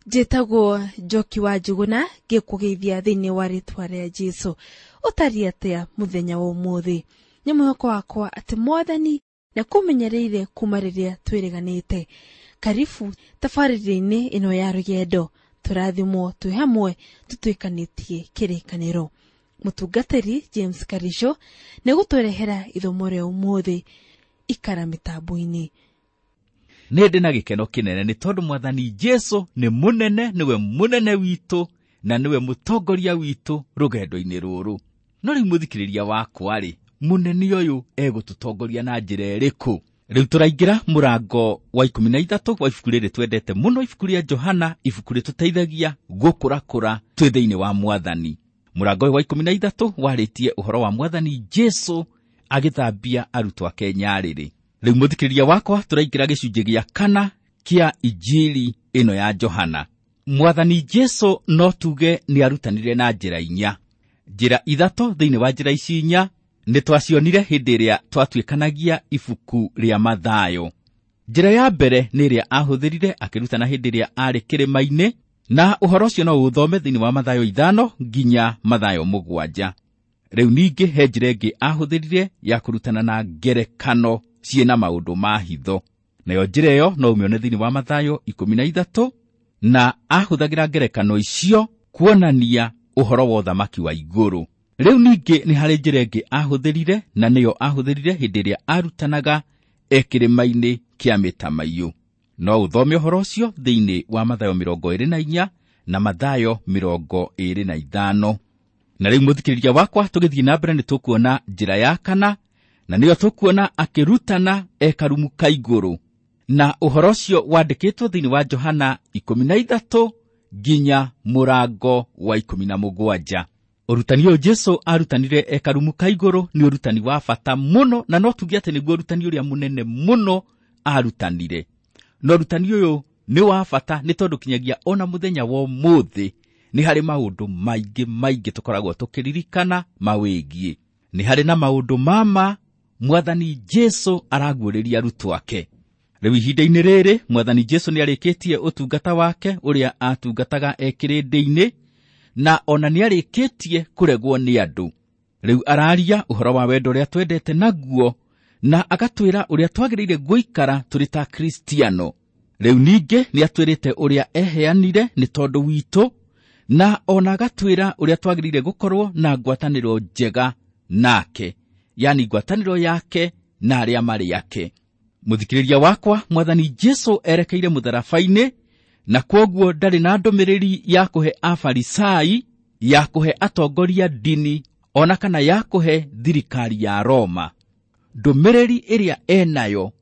Njĩtagwo Njoki wa Njuguna, ngĩkũgeithia thĩinĩ wa rĩtwa rĩa Jesũ. Ũtariĩ atĩa mũthenya wa ũmũthĩ? Nĩ mwĩhoko wakwa atĩ Mwathani nĩakũmenyereire kuma rĩrĩa twĩrĩganĩte. Karibu tabarĩra-inĩ ĩno ya rũgendo, tũrathimwo twĩ hamwe tũtuĩkanĩtie kĩrĩkanĩro. Mũtungatĩri James Karisho nĩegũtũrehera ithomo rĩa ũmũthĩ. Ikara mĩtambo-inĩ. Nĩ ndĩ na gĩkeno kĩnene nĩ tondũ Mwathani Jesu nĩ mũnene, nĩwe mũnene witũ na nĩwe mũtongoria witũ rũgendo-inĩ rũrũ. No rĩu mũthikĩrĩria wakwa-rĩ, mũnene ũyũ egũtũtongoria na njĩra ĩrĩkũ? Rĩu tũraingĩra mũrango wa 13 wa ibuku rĩrĩ twendete mũno, ibuku rĩa Johana, ibuku rĩtũteithagia gũkũrakũra twĩ thĩinĩ wa Mwathani. Mũrango ũyũ wa 13 warĩtie ũhoro wa Mwathani Jesu agĩthambia arutwo ake nyarĩrĩ. Rĩu mũthikĩrĩria wakwa, tũraingĩra gĩcunjĩ gĩa kana kĩa Injili ĩno ya Johana. Mwathani Jesu no tuge nĩ arutanire na njĩra inya. Njĩra ithatũ thĩinĩ wa njĩra ici inya nĩ twacionire hĩndĩ ĩrĩa twatuĩkanagia ibuku rĩa Mathayo. Njĩra ya mbere nĩ ĩrĩa ahũthĩrire akĩrutana hĩndĩ ĩrĩa arĩ kĩrĩma-inĩ, na ũhoro ũcio no ũthome thĩinĩ wa Mathayo 5 nginya Mathayo 7. Rĩu ningĩ he njĩra ĩngĩ ahũthĩrire ya kũrutana na ngerekano ciĩna maũndũ ma hitho. Nayo njĩra ĩyo no ũmĩone thĩinĩ wa Mathayo 13, na ahũthagĩra ngerekano icio kuonania ũhoro wa ũthamaki wa igũrũ. Rĩu ningĩ nĩ harĩ njĩra ĩngĩ ahũthĩrire, na nĩyo ahũthĩrire hĩndĩ ĩrĩa arutanaga e kĩrĩma-inĩ kĩa mĩtamaiyũ. No ũthome ũhoro ũcio thĩinĩ wa Mathayo 24 na Mathayo 25. Na rĩu mũthikĩrĩria wakwa, tũgĩthiĩ na mbere nĩ tũkuona njĩra ya kana, na nĩyo tũkuona akĩrutana e karumu ka igũrũ. Na ũhoro ũcio wandĩkĩtwo thĩinĩ wa Johana 13 nginya mũrango wa 17. Ũrutani ũyũ Jesu arutanire e karumu ka igũrũ nĩ ũrutani wa bata mũno, na no tuge atĩ nĩguo ũrutani ũrĩa mũnene mũno arutanire. Na ũrutani ũyũ nĩ wa bata nĩ tondũ kinyagia ona mũthenya wa ũmũthĩ nĩ harĩ maũndũ maingĩ maingĩ tũkoragwo tũkĩririkana mawĩgiĩ. Nĩ harĩ na maũndũ mama Mwathani Jesu araguũrĩria arutwo ake. Rĩu ihinda-inĩ rĩrĩ Mwathani Jesu nĩarĩkĩtie ũtungata wake ũrĩa atungataga e kĩrĩndĩ-inĩ, na ona nĩarĩkĩtie kũregwo nĩ andũ. Rĩu araria ũhoro wa wendo ũrĩa twendete naguo, na agatwĩra ũrĩa twagĩrĩire gũikara tũrĩ ta Kristiano. Rĩu ningĩ nĩatwĩrĩte ũrĩa eheanire nĩ tondũ witũ, na ona agatwĩra ũrĩa twagĩrĩire gũkorwo na ngwatanĩro njega nake, yani ngwatanĩro yake na arĩa marĩ ake. Mũthikĩrĩria wakwa, Mwathani Jesu erekeire mũtharaba-inĩ, na kwoguo ndarĩ na ndũmĩrĩri ya kũhe Afarisai, ya kũhe atongoria ndini, ona kana ya kũhe thirikari ya Roma. Ndũmĩrĩri ĩrĩa enayo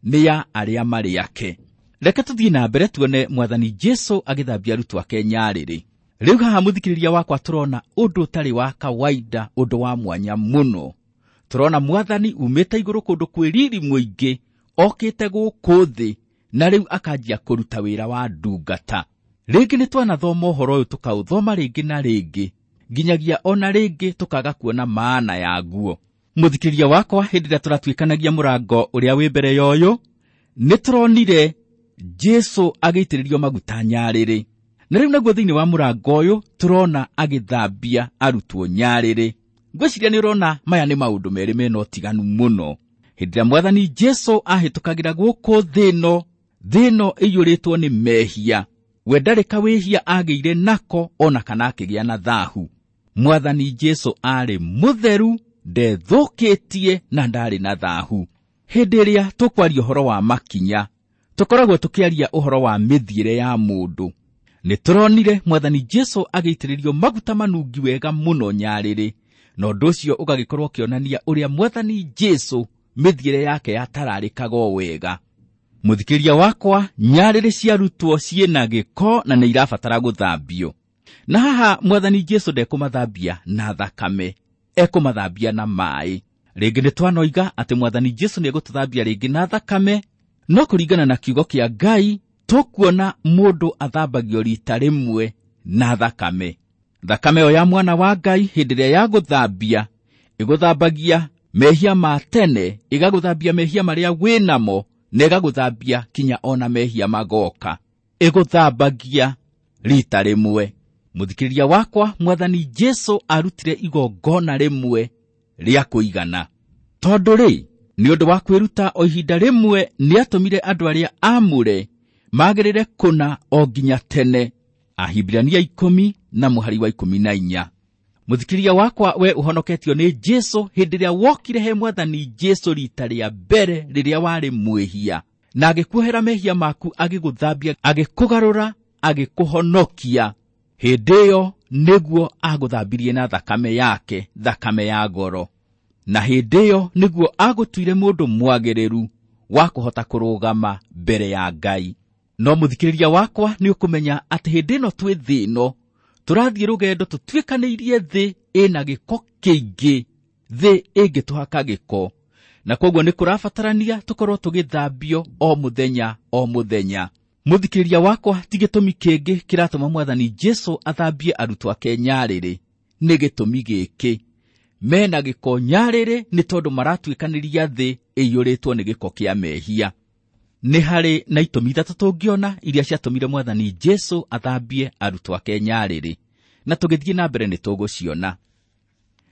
nĩ ya arĩa marĩ ake. Reke tũthiĩ na mbere tuone Mwathani Jesu agĩthambia arutwo ake nyarĩrĩ. Rĩu haha mũthikĩrĩria wakwa tũrona ũndũ ũtarĩ wa kawaida, ũndũ wa mwanya mũno. Tũrona Mwathani umĩte igũrũ kũndũ kwĩ riri mũingĩ, okĩte gũkũ thĩ, na rĩu akanjia kũruta wĩra wa ndungata. Rĩngĩ nĩ twanathoma ũhoro ũyũ tũkaũthoma rĩngĩ na rĩngĩ, nginyagia ona rĩngĩ tũkaga kuona maana yaguo. Mũthikĩrĩria wakwa, hĩndĩ ĩrĩa tũratuĩkanagia mũrango ũrĩa wĩ mbere ya ũyũ, nĩ tũronire Jesu agĩitĩrĩrio maguta nyarĩrĩ. Na rĩu naguo thĩinĩ wa mũrango ũyũ tũrona agĩthambia arutwo nyarĩrĩ. Ngwĩciria nĩ ũrona maya nĩ maũndũ merĩ mena ũtiganu mũno. Hĩndĩ ĩrĩa Mwathani Jesu ahĩtũkagĩra gũkũ thĩ ĩno, thĩ ĩno ĩiyũrĩtwo nĩ mehia. We ndarĩ kawĩhia agĩire nako ona kana akĩgĩa na thahu. Mwathani Jesu arĩ mũtheru, ndethũkĩtie na ndarĩ na thahu. Hĩndĩ ĩrĩa tũkwaria ũhoro wa makinya, tũkoragwo tũkĩaria ũhoro wa mĩthiĩre ya mũndũ. Nĩ tũronire Mwathani Jesu agĩitĩrĩrio maguta manungi wega mũno nyarĩrĩ, na ũndũ ũcio ũgagĩkorwo ũkĩonania ũrĩa Mwathani Jesu mĩthiĩre yake yatararĩkaga o wega. Mũthikĩrĩria wakwa, nyarĩrĩ ciarutwo ciĩna gĩko na nĩ irabatara gũthambio. Na haha Mwathani Jesu ndekũmathambia na thakame, ekũmathambia na maĩ. Rĩngĩ nĩ twanoiga atĩ Mwathani Jesu nĩegũtũthambia rĩngĩ na thakame, no kũringana na kiugo kĩa Ngai tũkuona mũndũ athambagio rita rĩmwe na thakame. Thakame ĩyo ya mwana wa Ngai hĩndĩ ĩrĩa yagũthambia, ĩgũthambagia mehia ma tene, ĩgagũthambia mehia marĩa wĩnamo, na ĩgagũthambia kinya ona mehia magoka. Ĩgũthambagia rita rĩmwe. Mũthikĩrĩria wakwa, Mwathani Jesu arutire igongona rĩmwe rĩa kũigana. Tondũ rĩ, nĩ ũndũ wa kwĩruta o ihinda rĩmwe nĩatũmire andũ arĩa aamũre magĩrĩre kũna o nginya tene. Ahibirania 10 na mũhari wa 14. Mũthikĩrĩria wakwa, we ũhonoketio nĩ Jesu hĩndĩ ĩrĩa wokire he Mwathani Jesu rita rĩa mbere rĩrĩa warĩ mwĩhia, na agĩkuohera mehia maku, agĩgũthambia, agĩkũgarũra, agĩkũhonokia. Hĩndĩ ĩyo nĩguo agũthambirie na thakame yake, thakame ya goro. Na hĩndĩ ĩyo nĩguo agũtuire mũndũ mwagĩrĩru wa kũhota kũrũgama mbere ya Ngai. No mũthikĩrĩria wakwa, nĩ ũkũmenya atĩ hĩndĩ ĩno twĩ thĩ ĩno tũrathiĩ rũgendo tũtuĩkanĩirie thĩ ĩna gĩko kĩingĩ, thĩ ĩngĩtũhaka gĩko, na kwoguo nĩ kũrabatarania tũkorwo tũgĩthambio o mũthenya o mũthenya. Mũthikĩrĩria wakwa, ti gĩtũmi kĩngĩ kĩratũma Mwathani Jesu athambie arutwo ake nyarĩrĩ, nĩ gĩtũmi gĩkĩ: mena gĩko nyarĩrĩ nĩ tondũ maratuĩkanĩria thĩ ĩiyũrĩtwo nĩ gĩko kĩa mehia. Nĩ harĩ na itũmi ithatũ tũngĩona iria ciatũmire Mwathani Jesu athambie arutwo ake nyarĩrĩ, na tũgĩthiĩ na mbere nĩ tũgũciona.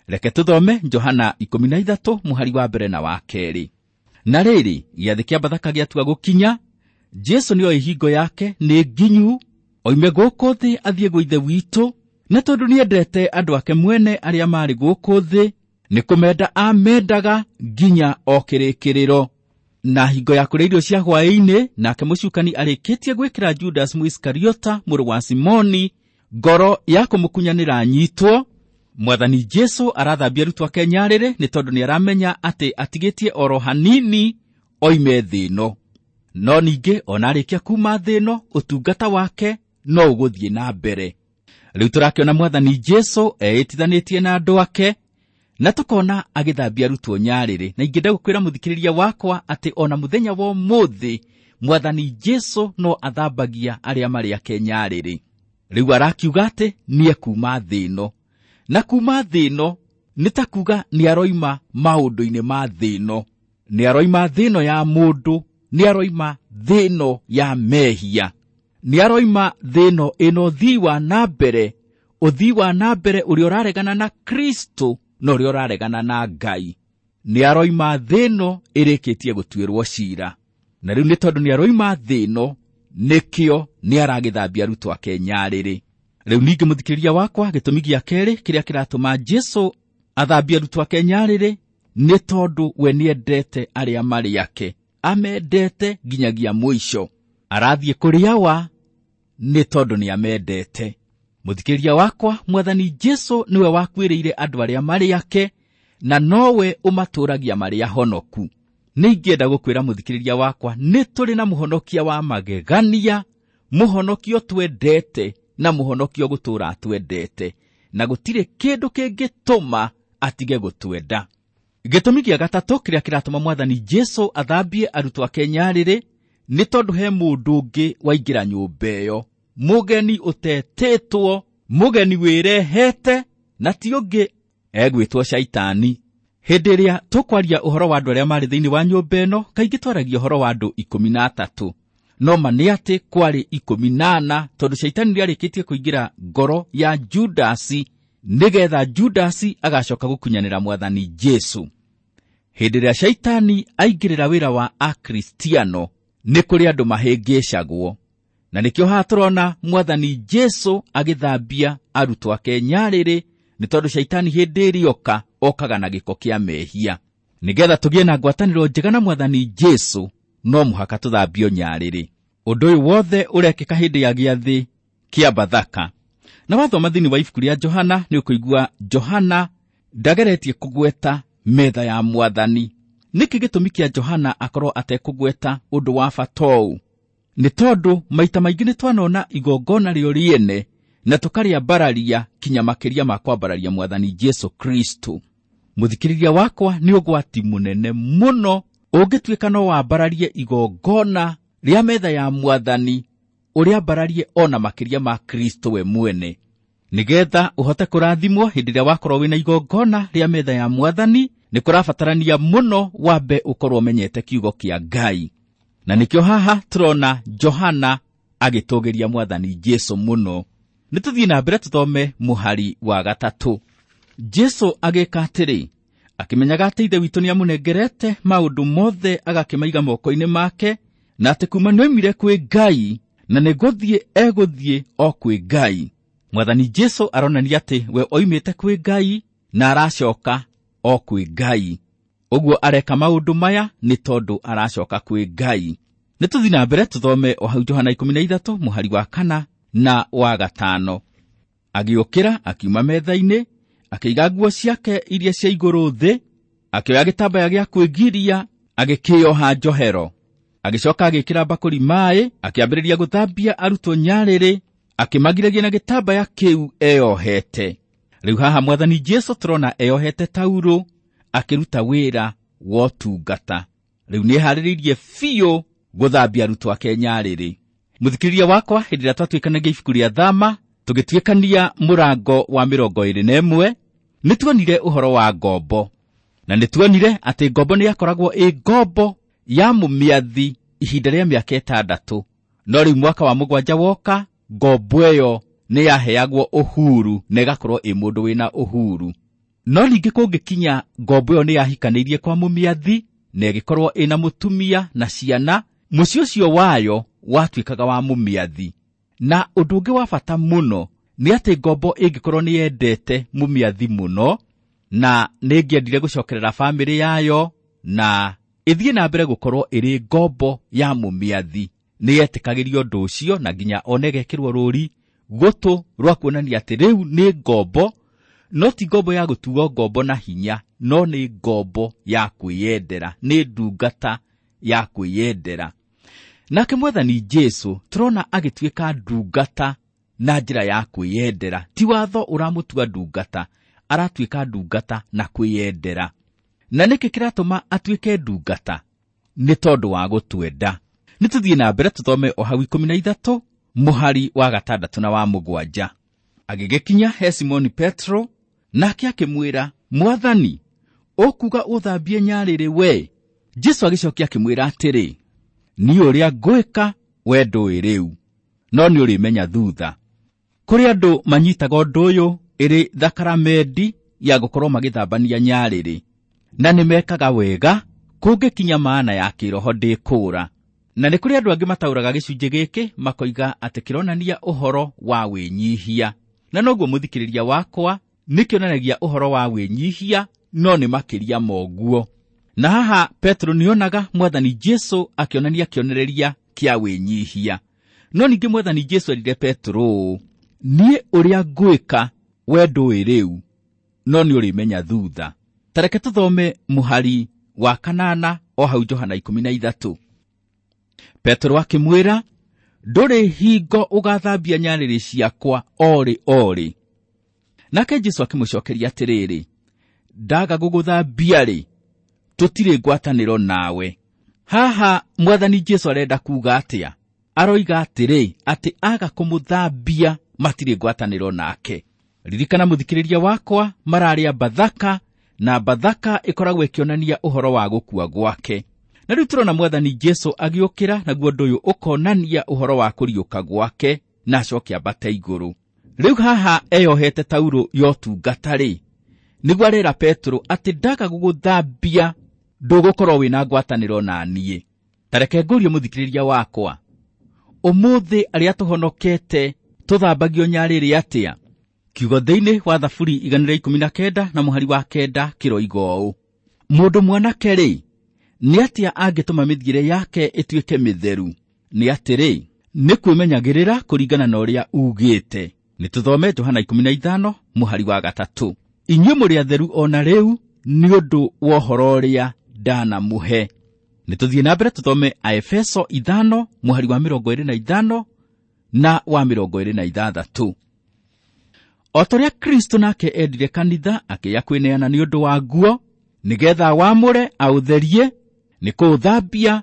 Reke tũthome Johana 13 mũhari wa mbere na wa kerĩ. Na rĩrĩ, gĩathĩ kĩa Bathaka gĩatua gũkinya, Jesu nĩoĩ hingo yake nĩ nginyu, oime gũkũ thĩ athiĩ gwa Ithe witũ, na tondũ nĩendete andũ ake mwene arĩa marĩ gũkũ thĩ, nĩ kũmenda amendaga nginya o kĩrĩkĩrĩro. Na hingo ya kũrĩa irio cia hwaĩ-inĩ, nake mũcukani arĩkĩtie gwĩkĩra Judas Mũisikariota mũrũ wa Simoni ngoro ya kũmũkunyanĩra anyitwo, Mwathani Jesu arathambia arutwo ake nyarĩrĩ nĩ tondũ nĩaramenya atĩ atigĩtie oro hanini oime thĩ ĩno. No ningĩ ona arĩkia kuma thĩ ĩno, ũtungata wake no ũgũthiĩ na mbere. Rĩu tũrakĩona Mwathani Jesu eĩtithanĩtie na andũ ake, na tũkona agĩthambia arutwo nyarĩrĩ. Na ingĩenda gũkwĩra mũthikĩrĩria wakwa atĩ ona mũthenya wa ũmũthĩ Mwathani Jesu no athambagia arĩa marĩ ake nyarĩrĩ. Rĩu arakiuga atĩ nĩekuma thĩ ĩno, na kuma thĩ ĩno nĩ ta kuga nĩaroima maũndũ-inĩ ma thĩ ĩno, nĩaroima thĩ ĩno ya mũndũ, nĩaroima thĩ ĩno ya mehia, nĩaroima thĩ ĩno ĩna ũthii wa na mbere, ũthii wa na mbere ũrĩa ũraregana na Kristo na ũrĩa ũraregana na Ngai. Nĩaroima thĩ ĩno ĩrĩkĩtie gũtuĩrwo cira. Na rĩu nĩ tondũ nĩaroima thĩ ĩno, nĩkĩo nĩaragĩthambia arutwo ake nyarĩrĩ. Rĩu ningĩ mũthikĩrĩria wakwa, gĩtũmi gĩa kerĩ kĩrĩa kĩratũma Jesu athambie arutwo ake nyarĩrĩ nĩ tondũ we nĩendete arĩa marĩ ake, amendete nginyagia mũico. Arathiĩ kũrĩ Awa nĩ tondũ nĩamendete. Mũthikĩrĩria wakwa, Mwathani Jesu nĩwe wakuĩrĩire andũ arĩa marĩ ake, na nowe ũmatũũragia marĩ ahonoku. Nĩ ingĩenda gũkwĩra mũthikĩrĩria wakwa, nĩ tũrĩ na mũhonokia wa magegania, mũhonokio twendete na mũhonokio gũtũũra atwendete, na gũtirĩ kĩndũ kĩngĩtũma atige gũtwenda. Gĩtũmi gĩa gatatũ kĩrĩa kĩratũma Mwathani Jesu athambie arutwo ake nyarĩrĩ nĩ tondũ he mũndũ ũngĩ waingĩra nyũmba ĩyo, mũgeni ũtetĩtwo, mũgeni wĩrehete, na ti ũngĩ egwĩtwo Shaitani. Hĩndĩ ĩrĩa tũkwaria ũhoro wa andũ arĩa marĩ thĩinĩ wa nyũmba ĩno, kaingĩ twaragia ũhoro wa andũ 13, no ma nĩ atĩ kwarĩ 14, tondũ Shaitani nĩarĩkĩtie kũingĩra ngoro ya Judasi nĩgetha Judasi agacoka gũkunyanĩra Mwathani Jesu. Hĩndĩ ĩrĩa Shaitani aingĩrĩra wĩra wa Akristiano, nĩ kũrĩ andũ mahĩngĩcagwo, na nĩkĩo haha tũrona Mwathani Jesu agĩthambia arutwo ake nyarĩrĩ, nĩ tondũ Shaitani hĩndĩ ĩrĩa oka okaga na gĩko kĩa mehia. Nĩgetha tũgĩe na ngwatanĩro njega na Mwathani Jesu, no mũhaka tũthambio nyarĩrĩ. Ũndũ ũyũ wothe ũrekĩka hĩndĩ ya gĩathĩ kĩa Bathaka. Na wathoma thĩinĩ wa ibuku rĩa Johana nĩ ũkũigua Johana ndageretie kũgweta metha ya Mwathani. Nĩkĩ gĩtũmi kĩa Johana akorwo atekũgweta ũndũ wa bata ũũ? Nĩ tondũ maita maingĩ nĩ twanona igongona rĩo rĩene na tũkarĩambararia kinya makĩria ma kwambararia Mwathani Jesu Kristo. Mũthikĩrĩria wakwa, nĩ ũgwati mũnene mũno ũngĩtuĩka no wambararie igongona rĩa metha ya Mwathani ũrĩambararie ona makĩria ma Kristo we mwene. Nĩgetha ũhote kũrathimwo hĩndĩ ĩrĩa wakorwo wĩna igongona rĩa metha ya Mwathani, nĩ kũrabatarania mũno wambe ũkorwo ũmenyete kiugo kĩa Ngai. Na nĩkĩo haha tũrona Johana agĩtũgĩria Mwathani Jesu mũno. Nĩ tũthiĩ na mbere tũthome mũhari wa 3. Jesu agĩka atĩrĩ, akĩmenyaga atĩ Ithe witũ nĩamũnengerete maũndũ mothe agakĩmaiga moko-inĩ make, na atĩ kuma nĩoimire kwĩ Ngai na nĩgũthiĩ egũthiĩ o kwĩ Ngai. Mwathani Jesu aronania atĩ we oimĩte kwĩ Ngai na aracoka o kwĩ Ngai. Ũguo areka maũndũ maya nĩ tondũ aracoka kwĩ Ngai. Nĩ tũthiĩ na mbere tũthome o hau Johana 13 mũhari wa 4 na wa 5. Agĩũkĩra akiuma metha-inĩ, akĩiga nguo ciake iria cia igũrũ thĩ, akĩoya gĩtambaya gĩa kwĩgiria, agĩkĩoha njohero. Agĩcoka agĩĩkĩra mbakũri maaĩ, akĩambĩrĩria gũthambia arutwo nyarĩrĩ, akĩmagiragia na gĩtambaya kĩu eyohete. Rĩu haha Mwathani Jesu tũrona eyohete taurũ akĩruta wĩra wa ũtungata. Rĩu nĩeharĩrĩirie biũ gũthambia arutwo ake nyarĩrĩ. Mũthikĩrĩria wakwa, hĩndĩ ĩrĩa twatuĩkanagia ibuku rĩa Thama, tũgĩtuĩkania mũrango wa 21, nĩtuonire ũhoro wa ngombo. Na nĩtuonire atĩ ngombo nĩyakoragwo ĩ ngombo ya mũmĩathi ihinda rĩa mĩaka 6. No rĩu mwaka wa 7 woka, ngombo ĩyo nĩyaheagwo ũhuru na ĩgakorwo ĩ mũndũ wĩna ũhuru. No ningĩ kũngĩkinya ngombo ĩyo nĩyahikanĩirie kwa mũmĩathi na ĩgĩkorwo ĩna mũtumia na ciana, mũciĩ ũcio wayo watuĩkaga wa mũmĩathi. Na ũndũ ũngĩ wa bata mũno nĩ atĩ ngombo ĩngĩkorwo nĩyendete mũmĩathi mũno na nĩĩngĩendire gũcokerera bamĩrĩ yayo na ĩthiĩ na mbere gũkorwo ĩrĩ ngombo ya mũmĩathi, nĩyetĩkagĩrio ũndũ ũcio na nginya ona ĩgekĩrwo rũri gũtũ rwa kuonania atĩ rĩu nĩ ngombo, no ti ngombo ya gũtuo ngombo na hinya, no nĩ ngombo ya kwĩyendera, nĩ ndungata ya kwĩyendera. Nake Mwathani Jesu tũrona agĩtuĩka ndungata na njĩra ya kwĩyendera. Ti watho ũramũtua ndungata, aratuĩka ndungata na kwĩyendera. Na nĩkĩ kĩratũma atuĩke ndungata? Nĩ tondũ wa gũtwenda. Nĩ tũthiĩ na mbere tũthome o hau 13 mũhari wa 6 na wa 7. Agĩgĩkinya he Simoni Petro, nake akĩmwĩra, Mwathani, ũkuga ũthambie nyarĩrĩ we? Jesu agĩcokia akĩmwĩra atĩrĩ, niĩ ũrĩa ngwĩka we ndũĩ rĩu, no nĩũrĩmenya thutha. Kũrĩ andũ manyitaga ũndũ ũyũ ĩrĩ thakaramendi ya gũkorwo magĩthambania nyarĩrĩ, na nĩmekaga wega kũngĩkinya maana ya kĩroho ndĩkũũra. Na nĩ kũrĩ andũ angĩ mataũraga gĩcunjĩ gĩkĩ makoiga atĩ kĩronania ũhoro wa wĩnyihia. Na noguo mũthikĩrĩria wakwa, nĩkĩonanagia ũhoro wa wĩnyihia, no nĩ makĩria moguo. Na haha Petro nĩonaga Mwathani Jesu akĩonania kĩonereria kĩa wĩnyihia. No ningĩ Mwathani Jesu erire Petro ũũ, niĩ ũrĩa ngwĩka we ndũĩ rĩu, no nĩũrĩmenya thutha. Ta reke tũthome mũhari wa 8 o hau Johana 13. Petro akĩmwĩra, ndũrĩ hingo ũgathambia nyarĩrĩ ciakwa orĩ orĩ. Nake Jesu akĩmũcokeria atĩrĩrĩ, ndaga gũgũthambia-rĩ, tũtirĩ ngwatanĩro nawe. Haha Mwathani Jesu arenda kuuga atĩa? Aroiga atĩrĩ, atĩ aga kũmũthambia matirĩ ngwatanĩro nake. Ririkana mũthikĩrĩria wakwa, mararĩa Bathaka, na Bathaka ĩkoragwo ĩkĩonania ũhoro wa gũkua gwake. Na rĩu tũrona Mwathani Jesu agĩũkĩra, naguo ũndũ ũyũ ũkonania ũhoro wa kũriũka gwake na acoke ambate igũrũ. Rĩu haha eyohete taurũ ya ũtungata-rĩ, nĩguo arera Petro atĩ ndaga gũgũthambia ndũgũkorwo wĩna ngwatanĩro na niĩ. Ta reke ngũrie mũthikĩrĩria wakwa, ũmũthĩ arĩa tũhonokete tũthambagio nyarĩrĩ atĩa? Kiugo thĩinĩ wa Thaburi 119 na mũhari wa 9 kĩroiga ũũ, mũndũ mwanake-rĩ, nĩ atĩa angĩtũma mĩthiĩre yake ĩtuĩke mĩtheru? Nĩ atĩrĩ, nĩ kwĩmenyagĩrĩra kũringana na ũrĩa ugĩte. Nĩ tũthome Johana 15 mũhari wa 3. Inyuĩ mũrĩ atheru o na rĩu nĩ ũndũ wa ũhoro ũrĩa ndanamũhe. Nĩ tũthiĩ na mbere tũthome Aefeso 5 mũhari wa 25 na wa 26. O ta ũrĩa Kristo nake endire kanitha akĩya kwĩneana nĩ ũndũ wa guo, nĩgetha wamũre aũtherie, nĩ kũũthambia,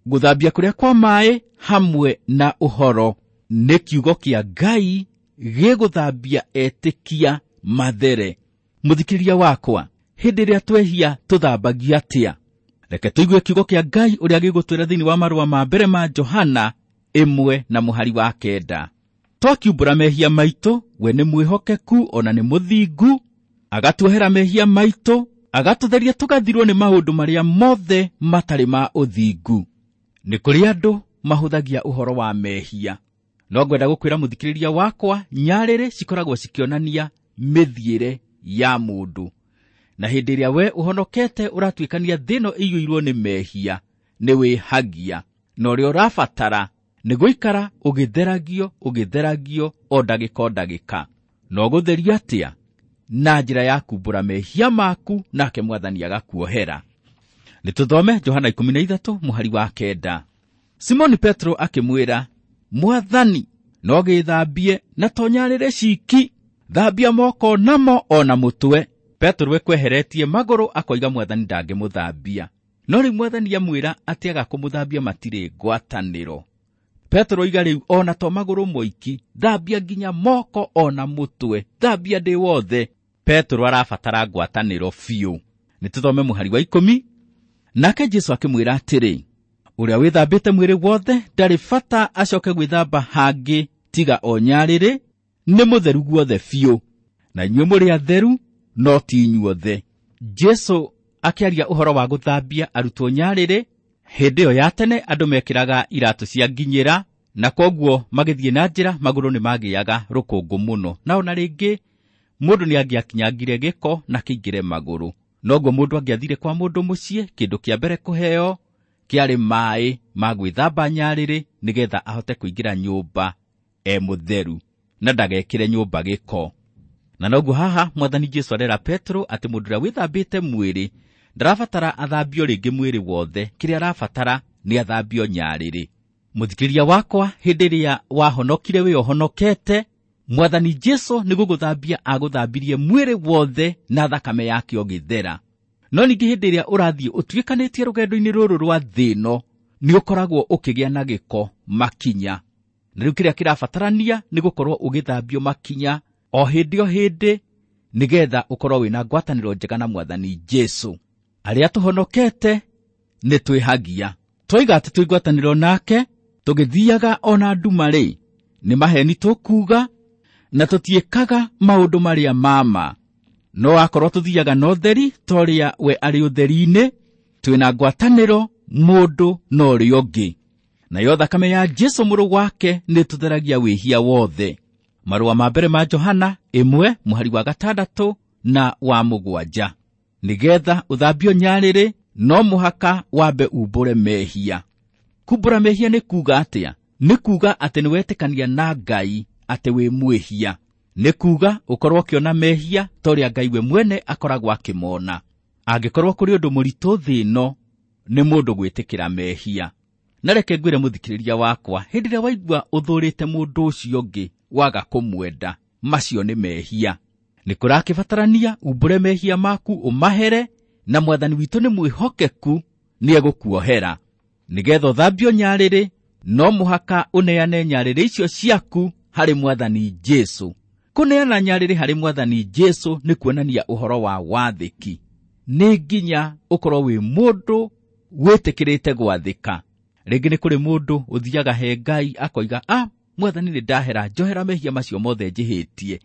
gũthambia kũrĩa kwa maaĩ hamwe na ũhoro. Nĩ kiugo kĩa Ngai gĩgũthambia etĩkia mathere. Mũthikĩrĩria wakwa, hĩndĩ ĩrĩa twehia tũthambagia atĩa? Reke tũigue kiugo kĩa Ngai ũrĩa gĩgũtwĩra thĩinĩ wa marũa ma mbere ma Johana 1 na mũhari wa 9. Twakiumbũra mehia maitũ, we nĩ mwĩhokeku ona nĩ mũthingu, agatuohera mehia maitũ, agatũtheria tũgathirwo nĩ maũndũ marĩa mothe matarĩ ma ũthingu. Nĩ kũrĩ andũ mahũthagia ũhoro wa mehia. No ngwenda gũkwĩra mũthikĩrĩria wakwa, nyarĩrĩ cikoragwo cikĩonania mĩthiĩre ya mũndũ. Na hĩndĩ ĩrĩa we ũhonokete ũratuĩkania thĩ ĩno ĩiyũirwo nĩ mehia, nĩ wĩhagia. Na ũrĩa ũrabatara nĩ gũikara ũgĩtheragio, ũgĩtheragio o ndagĩka o ndagĩka. Na ũgũtherio atĩa? Na njĩra ya kumbũra mehia maku, nake Mwathani agakuohera. Nĩ tũthome Johana 13 mũhari wa 9. Simoni Petro akĩmwĩra, Mwathani, no gĩthambie na to nyarĩrĩ ciki, thambia moko namo o na mũtwe. Petro ekweheretie magũrũ akoiga Mwathani ndangĩmũthambia. No rĩu Mwathani amwĩra atĩ aga kũmũthambia matirĩ ngwatanĩro. Petro oiga rĩu ona to magũrũ moiki, thambia nginya moko ona mũtwe, thambia ndĩ wothe. Petro arabatara ngwatanĩro biũ. Nĩ tũthome mũhari wa 10. Nake Jesũ akĩmwĩra atĩrĩ, ũrĩa wĩthambĩte mwĩrĩ wothe ndarĩ bata acoke gwĩthamba hangĩ tiga o nyarĩrĩ, nĩ mũtheru guothe biũ. Na inyuĩ mũrĩ atheru, no ti inyuothe. Jesũ akĩaria ũhoro wa gũthambia arutwo nyarĩrĩ. Hĩndĩ ĩyo ya tene andũ mekĩraga iratũ cia nginyĩra, na kwoguo magĩthiĩ na njĩra magũrũ nĩ magĩaga rũkũngũ mũno. Na ona rĩngĩ mũndũ nĩ angĩakinyangire gĩko na kĩingĩre magũrũ. Noguo mũndũ angĩathire kwa mũndũ mũciĩ, kĩndũ kĩa mbere kũheo kĩarĩ maĩ ma gwĩthamba nyarĩrĩ nĩgetha ahote kũingĩra nyũmba e mũtheru na ndagekĩre nyũmba gĩko. Na noguo haha Mwathani Jesũ arera Petro atĩ mũndũ ũrĩa wĩthambĩte mwĩrĩ ndarabatara athambio rĩngĩ mwĩrĩ wothe, kĩrĩa arabatara nĩ athambio nyarĩrĩ. Mũthikĩrĩria wakwa, hĩndĩ ĩrĩa wahonokire wĩ ũhonokete, Mwathani Jesũ nĩ gũgũthambia agũthambirie mwĩrĩ wothe na thakame yake ũgĩthera. No ningĩ hĩndĩ ĩrĩa ũrathiĩ ũtuĩkanĩtie rũgendo-inĩ rũrũ rwa thĩ ĩno, nĩ ũkoragwo ũkĩgĩa na gĩko makinya. Na rĩu kĩrĩa kĩrabatarania nĩ gũkorwo ũgĩthambio makinya o hĩndĩ o hĩndĩ, nĩgetha ũkorwo wĩna ngwatanĩro njega na Mwathani Jesũ. Arĩa tũhonokete nĩ twĩhagia. Twoiga atĩ twĩ ngwatanĩro nake, tũgĩthiaga ona nduma-rĩ, nĩ maheni tũkuuga, na tũtiĩkaga maũndũ marĩa ma ma. No akorwo tũthiaga na ũtheri ta ũrĩa we arĩ ũtheri-inĩ, twĩna ngwatanĩro mũndũ na ũrĩa ũngĩ. Nayo thakame ya Jesũ mũrũ wake nĩ ĩtũtheragia wĩhia wothe. Marũa ma mbere ma Johana 1 mũhari wa 6 na wa 7. Nĩgetha ũthambio nyarĩrĩ, no mũhaka wambe umbũre mehia. Kumbũra mehia nĩ kuuga atĩa? Nĩ kuuga atĩ nĩ wetĩkania na Ngai atĩ wĩ mwĩhia. Nĩ kuuga ũkorwo ũkĩona mehia ta ũrĩa Ngai we mwene akoragwo akĩmona. Angĩkorwo kũrĩ ũndũ mũritũ thĩ ĩno, nĩ mũndũ gwĩtĩkĩra mehia. Na reke ngwĩre mũthikĩrĩria wakwa, hĩndĩ ĩrĩa waigua ũthũrĩte mũndũ ũcio ũngĩ waga kũmwenda, macio nĩ mehia. Nĩ kũrakĩbatarania umbũre mehia maku ũmahere, na Mwathani witũ nĩ mwĩhokeku, nĩ egũkuohera. Nĩgetha ũthambio nyarĩrĩ, no mũhaka ũneane nyarĩrĩ icio ciaku harĩ Mwathani Jesũ. Kũneana nyarĩrĩ harĩ Mwathani Jesũ nĩ kuonania ũhoro wa wathĩki. Nĩ nginya ũkorwo wĩ mũndũ wĩtĩkĩrĩte gwathĩka. Rĩngĩ nĩ kũrĩ mũndũ ũthiaga he Ngai akoiga, Mwathani nĩ ndahera, njohera mehia macio mothe njĩhĩtie.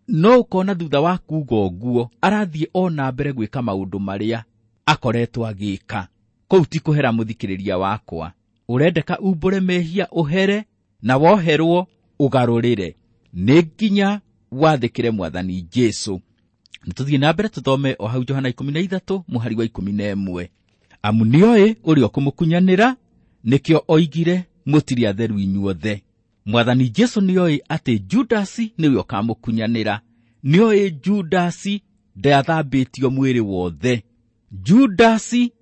No ũkona thutha wa kuuga ũguo arathiĩ o na mbere gwĩka maũndũ marĩa akoretwo agĩka. Kũu ti kũhera mũthikĩrĩria wakwa. Ũrendeka umbũre mehia ũhere, na woherwo ũgarũrĩre. Nĩ nginya wathĩkĩre Mwathani Jesũ. Nĩ tũthiĩ na mbere tũthome o hau Johana 13 mũhari wa 11. Amu nĩoĩ ũrĩa ũkũmũkunyanĩra, nĩkĩo oigire mũtirĩ atheru inyuothe. Mwathani Jesũ nĩoĩ atĩ Judasi nĩwe ũkamũkunyanĩra. Nĩoĩ Judasi ndathambĩtio mwĩrĩ wothe. Judasi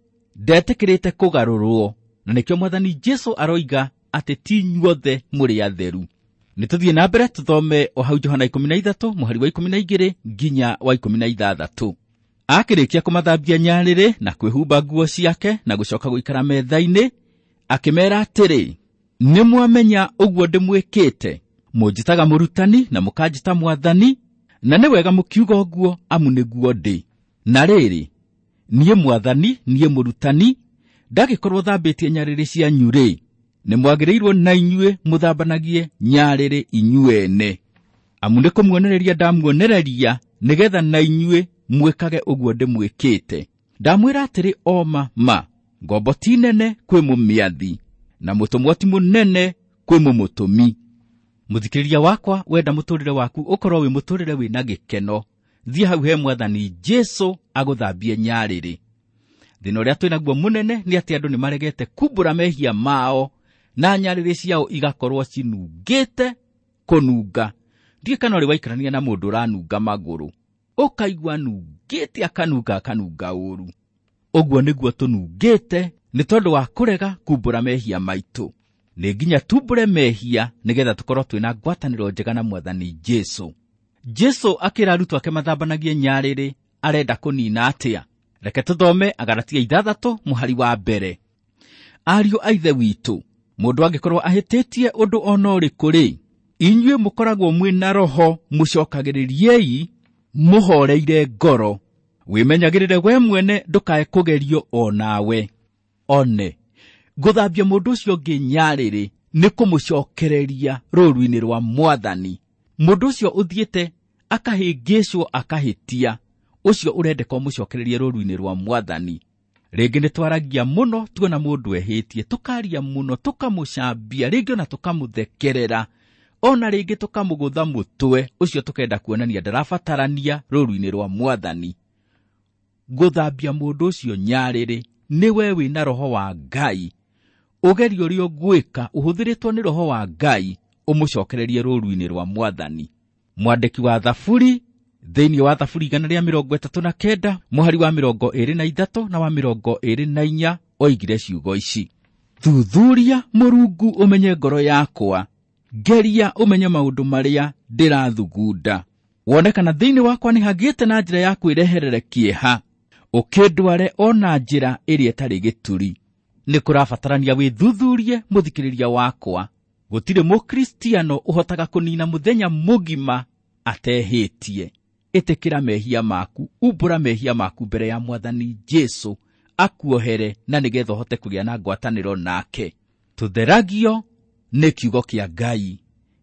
ndetĩkĩrĩte kũgarũrwo, na nĩkĩo Mwathani Jesũ aroiga atĩ ti inyuothe mũrĩ atheru. Nĩ tũthiĩ na mbere tũthome o hau Johana 13 mũhari wa 12 nginya wa 16. Akĩrĩkia kũmathambia nyarĩrĩ na kwĩhumba nguo ciake na gũcoka gũikara metha-inĩ, akĩmeera atĩrĩ, nĩ mwamenya ũguo ndĩmwĩkĩte? Mũnjĩtaga mũrutani na mũkanjĩta Mwathani, na nĩ wega mũkiuga ũguo, amu nĩguo ndĩ. Na rĩrĩ, niĩ Mwathani, niĩ mũrutani, ndagĩkorwo thambĩtie nyarĩrĩ cianyu-rĩ, Nĩ mwagĩrĩirwo na inyuĩ mũthambanagie nyarĩrĩ inyuene. Amu nĩ kũmuonereria ndamuonereria nĩgetha na inyuĩ mwĩkage ũguo ndĩmwĩkĩte. Ndamwĩra atĩrĩ o ma ma, ngombo ti nene kwĩ mũmĩathi, na mũtũmwo ti mũnene kwĩ mũmũtũmi. Mũthikĩrĩria wakwa, wenda mũtũrĩre waku ũkorwo wĩ mũtũrĩre wĩna gĩkeno, thiĩ hau he Mwathani Jesũ agũthambie nyarĩrĩ. Thĩna ũrĩa twĩnaguo mũnene nĩ atĩ andũ nĩ maregete kumbũra mehia mao na nyarĩrĩ ciao igakorwo cinungĩte kũnunga. Ndiũĩ kana ũrĩ waikarania na mũndũ ũranunga magũrũ, ũkaigua anungĩte akanunga akanunga ũru. Ũguo nĩguo tũnungĩte nĩ tondũ wa kũrega kumbũra mehia maitũ. Nĩ nginya tumbũre mehia nĩgetha tũkorwo twĩna ngwatanĩro njega na Mwathani Jesũ. Jesũ akĩra arutwo ake mathambanagie nyarĩrĩ, arenda kũnina atĩa? Reke tũthome Agalatia 6 mũhari wa 1. Ariũ a Ithe witũ, mũndũ angĩkorwo ahĩtĩtie ũndũ o na ũrĩkũ rĩ, inyuĩ mũkoragwo mwĩ na roho mũcokagĩrĩriei mũhoreire ngoro. Wĩmenyagĩrĩre we mwene ndũkae kũgerio o nawe. One, gũthambia mũndũ ũcio ũngĩ nyarĩrĩ nĩ kũmũcokereria rũũru-inĩ rwa Mwathani. Mũndũ ũcio ũthiĩte akahĩngĩcwo akahĩtia, ũcio ũrendeka ũmũcokererie rũũru-inĩ rwa Mwathani. Rĩngĩ nĩ twaragia mũno tuona mũndũ ehĩtie, tũkaria mũno, tũkamũcambia, rĩngĩ ona tũkamũthekerera, ona rĩngĩ tũkamũgũtha mũtwe, ũcio tũkenda kuonania ndarabatarania rũũru-inĩ rwa Mwathani. Gũthambia mũndũ ũcio nyarĩrĩ nĩ we wĩna roho wa Ngai. Ũgerio ũrĩa ũgwĩka ũhũthĩrĩtwo nĩ roho wa Ngai ũmũcokererie rũũru-inĩ rwa Mwathani. Mwandĩki wa Thaburi thĩinĩ wa Thaburi 139 mũhari wa 23 na wa 24 oigire ciugo ici: Thuthuria Mũrungu ũmenye ngoro yakwa, ngeria ũmenye maũndũ marĩa ndĩrathugunda, wone kana thĩinĩ wakwa nĩ hagĩte na njĩra ya kwĩreherere kĩeha, ũkĩndware o na njĩra ĩrĩa ĩtarĩ gĩturi. Nĩ kũrabatarania wĩthuthurie mũthikĩrĩria wakwa. Gũtirĩ mũkristiano ũhotaga kũnina mũthenya mũgima atehĩtie. Ĩtĩkĩra mehia maku, umbũra mehia maku mbere ya Mwathani Jesũ akuohere na nĩgetha ũhote kũgĩa na ngwatanĩro nake. Tũtheragio nĩ kiugo kĩa Ngai.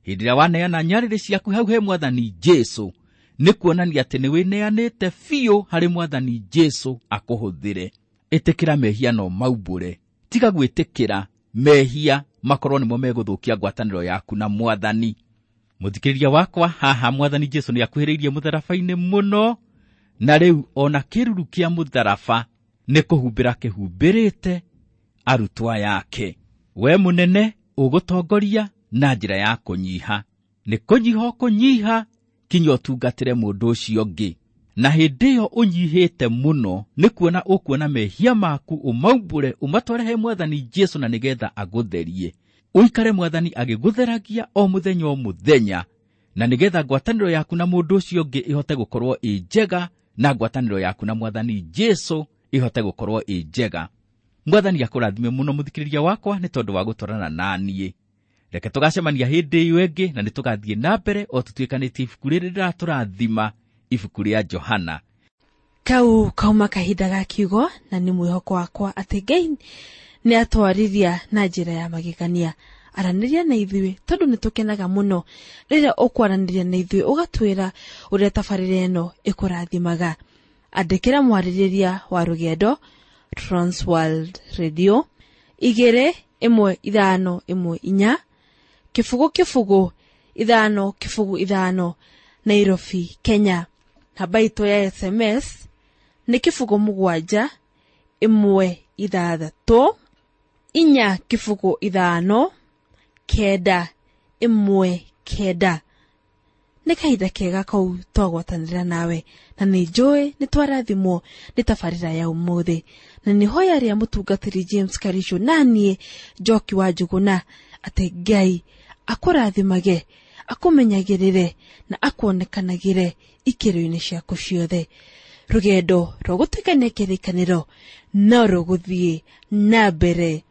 Hĩndĩ ĩrĩa waneana nyarĩrĩ ciaku hau he Mwathani Jesũ, nĩ kuonania atĩ nĩ wĩneanĩte biũ harĩ Mwathani Jesũ akũhũthĩre. Ĩtĩkĩra mehia no maumbũre. Tiga gwĩtĩkĩra mehia makorwo nĩmo megũthũkia ngwatanĩro yaku na Mwathani. Mũthikĩrĩria wakwa, haha Mwathani Jesũ nĩ akuhĩrĩirie mũtharaba-inĩ mũno, na rĩu ona kĩruru kĩa mũtharaba nĩ kũhumbĩra kĩhumbĩrĩte arutwo yake. We mũnene ũgũtongoria na njĩra ya kũnyiha. Nĩ kũnyiha ũkũnyiha kinya ũtungatĩre mũndũ ũcio ũngĩ. Na hĩndĩ ĩyo ũnyihĩte mũno nĩ kuona ũkuona mehia maku, ũmaumbũre, ũmatware he Mwathani Jesũ na nĩgetha agũtherie. Ũikare Mwathani agĩgũtheragia o mũthenya o mũthenya, na nĩgetha ngwatanĩro yaku na mũndũ ũcio ũngĩ ĩhote gũkorwo ĩ njega, na ngwatanĩro yaku na Mwathani Jesũ ĩhote gũkorwo ĩ njega. Mwathani akũrathime mũno mũthikĩrĩria wakwa nĩ tondũ wa gũtwarana na niĩ. Reke tũgacemania hĩndĩ ĩyo ĩngĩ, na nĩ tũgathiĩ na mbere o tũtuĩkanĩtie ibuku rĩrĩ rĩratũrathima, ibuku rĩa Johana. Kau kauma kahinda ga kiugo, na nĩ mwĩhoko wakwa atĩ Ngai nĩ atwarithia na njĩra ya magegania. Aranĩria na ithuĩ tondũ nĩ tũkenaga mũno rĩrĩa ũkwaranĩria na ithuĩ, ũgatwĩra ũrĩa tabarĩra ĩno ĩkũrathimaga. Andĩkĩra mwarĩrĩria wa rũgendo Transworld Radio 21514 0 0 5 0 5 Nairobi, Kenya. Namba itũ ya SMS nĩ 0 7 1 6 4 0 5 9 1 9. Nĩ kahinda kega kau twagwatanĩra nawe, na nĩ njũĩ nĩ twarathimwo nĩ tabarĩra ya ũmũthĩ, na nĩ hoya rĩa mũtungatĩri James Karisho na niĩ Njoki wa Njũgũna atĩ Ngai akũrathimage, akũmenyagĩrĩre na akuonekanagĩre ikĩro-inĩ ciaku ciothe. Rũgendo rwa gũtuĩkania kĩrĩkanĩro no rũgũthiĩ na mbere.